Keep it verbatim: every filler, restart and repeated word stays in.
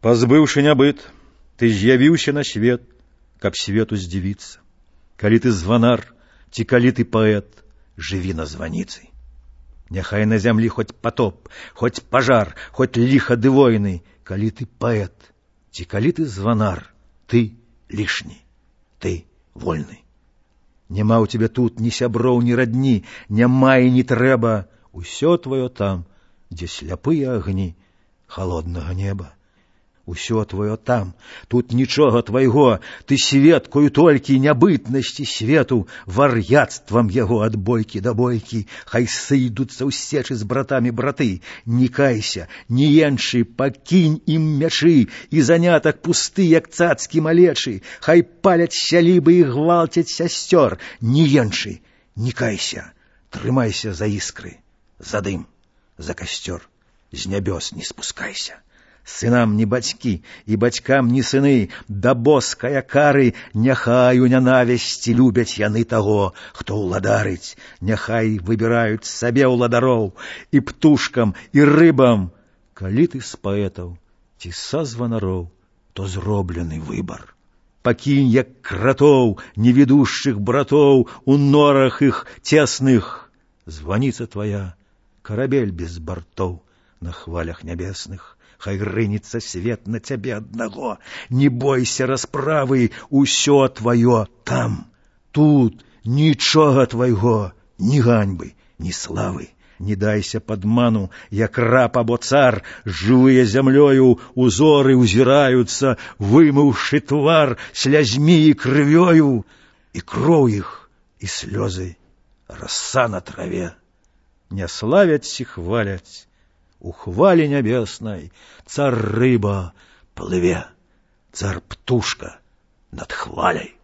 Пазбыўшы нябыт, ты з'явіўся на свет, каб свету здзівіцца. Калі ты званар, ці калі ты паэт, жыві на званіцы. Няхай на зямлі хоць патоп, хоць пажар, хоць ліха ды войны, калі ты паэт, ці калі ты званар, ты лішні, ты вольны. Няма ў цябе тут ні сяброў, ні радні, няма і не трэба, усё твоё там, дзе сляпыя агні холоднага неба. Усё твоё там, тут нічога твайго, ты сведкою толькі нябытнасці свету, вар'яцтвам яго ад бойкі да бойкі, хай сыйдуцца ў сечы з братамі браты, не кайся, не енчы, пакінь ім мячы, і занятак пусты, як цацкі малечы, хай паляць сялібы і гвалцяць сясцёр, не енчы, не кайся, трымайся за іскры, за дым, за касцёр, з нябёс не спускайся. Сынам не бацькі, і бацькам не сыны, да боская кары, няхай у нянавісці любяць яны таго, хто ўладарыць, няхай выбіраюць сабе ўладароў, і птушкам, і рыбам. Калі ты з паэтаў, ці са званароў, то зроблены выбар. Пакінь, як кратоў, невідушчых братоў, у норах іх цесных. Званіца твая, карабель без бартоў на хвалях нябесных. Хай рынецца свет на цябе аднаго, не бойся расправы, усё твоё там. Тут нічога твайго, ні ганьбы, ні славы. Не дайся падману, як раб або цар, жывыя зямлёю узоры ўзіраюцца, вымыўшы твар слязьмі і крывёю, і кроў іх, і слёзы, раса на траве. Не славяць і хваляць, у хвале нябеснай цар рыба плыве, цар птушка над хваляй.